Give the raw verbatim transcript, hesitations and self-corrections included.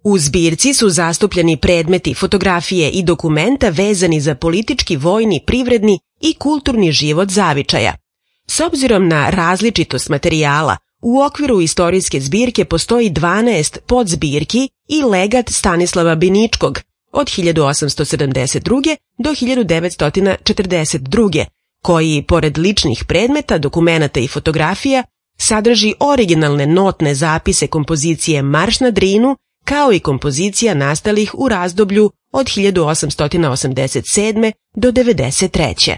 U zbirci su zastupljeni predmeti, fotografije i dokumenta vezani za politički, vojni, privredni i kulturni život zavičaja. S obzirom na različitost materijala, u okviru istorijske zbirke postoji dvanaest podzbirki i legat Stanislava Biničkog od hiljadu osamsto sedamdeset druge. do hiljadu devetsto četrdeset druge. koji, pored ličnih predmeta, dokumenata i fotografija, sadrži originalne notne zapise kompozicije Marš na Drinu, kao i kompozicija nastalih u razdoblju od hiljadu osamsto osamdeset sedme. do devedeset treće.